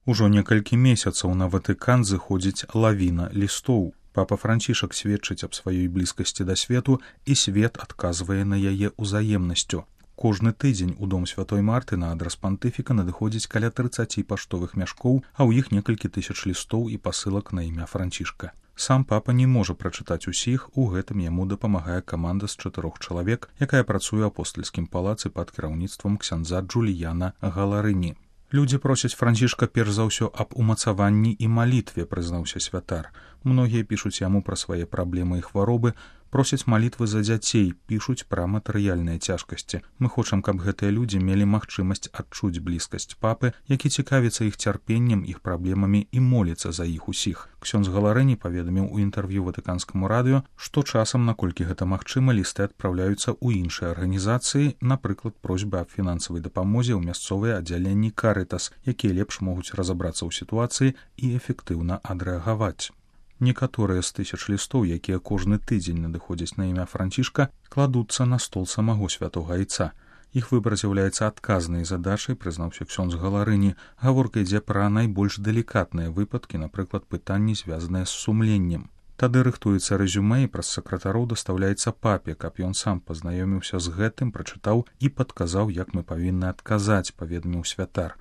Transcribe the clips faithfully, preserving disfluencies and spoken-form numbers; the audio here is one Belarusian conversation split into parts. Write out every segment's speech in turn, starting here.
Ужо некалькі месяцаў на Ватыкан зыходзіць лавіна лістоў. Папа Францішак сведчыць аб сваёй блізкасці да свету, і свет адказвае на яе ўзаемнасцю. Кожны тыдзень у дом святой Марты на адрас пантыфіка надыходзіць каля трыццаці паштовых мяшкоў, а ў іх некалькі тысяч лістоў і пасылак на імя Францішка. Сам папа не можа прачытаць усіх, у гэтым яму дапамагае каманда з чатырох чалавек, якая працуе ў апостальскім палацы пад кіраўніцтвам ксяндза Джуліяна Галарыні. Людзі просяць Францішка перш за ўсё аб умацаванні і малітве, прызнаўся святар. Многія пішуць яму пра свае праблемы і хваробы, просяць малітвы за дзяцей, пішуць пра матэрыяльныя цяжкасці. Мы хочам, каб гэтыя людзі мелі магчымасць адчуць блізкасць папы, які цікавіцца іх цярпеннем, іх праблемамі і моліцца за іх усіх. Ксёндз Галарыні паведаміў у інтэрв'ю Ватыканскаму радыё, што часам, наколькі гэта магчыма, лісты адпраўляюцца ў іншыя арганізацыі, напрыклад, просьбы аб фінансавай дапамозе ў мясцовыя аддзяленні Карытас, якія лепш могуць разабрацца ў сітуацыі і эфектыўна адрэагаваць. Некаторыя з тысяч лістоў, якія кожны тыдзень надыходзяць на імя Францішка, кладуцца на стол самого святога айца. Іх выбар з'яўляецца адказнай задачай, прызнаўся ксёндз Галарыні. Гаворка ідзе пра найбольш далікатныя выпадкі, напрыклад, пытанні, звязаныя з сумленнем. Тады рыхтуецца рэзюмэ і праз сакратароў дастаўляецца папе, каб ён сам пазнаёміўся з гэтым, прачытаў і падказаў, як мы павінны адказаць, паведаміў святар.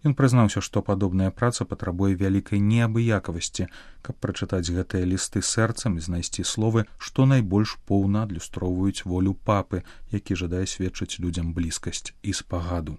Ён прызнаўся, што падобная праца патрабуе вялікай неабыякавасці, каб прачытаць гэтыя лісты сэрцам і знайсці словы, што найбольш поўна адлюстроўваюць волю папы, які жадае сведчыць людзям блізкасць і спагаду.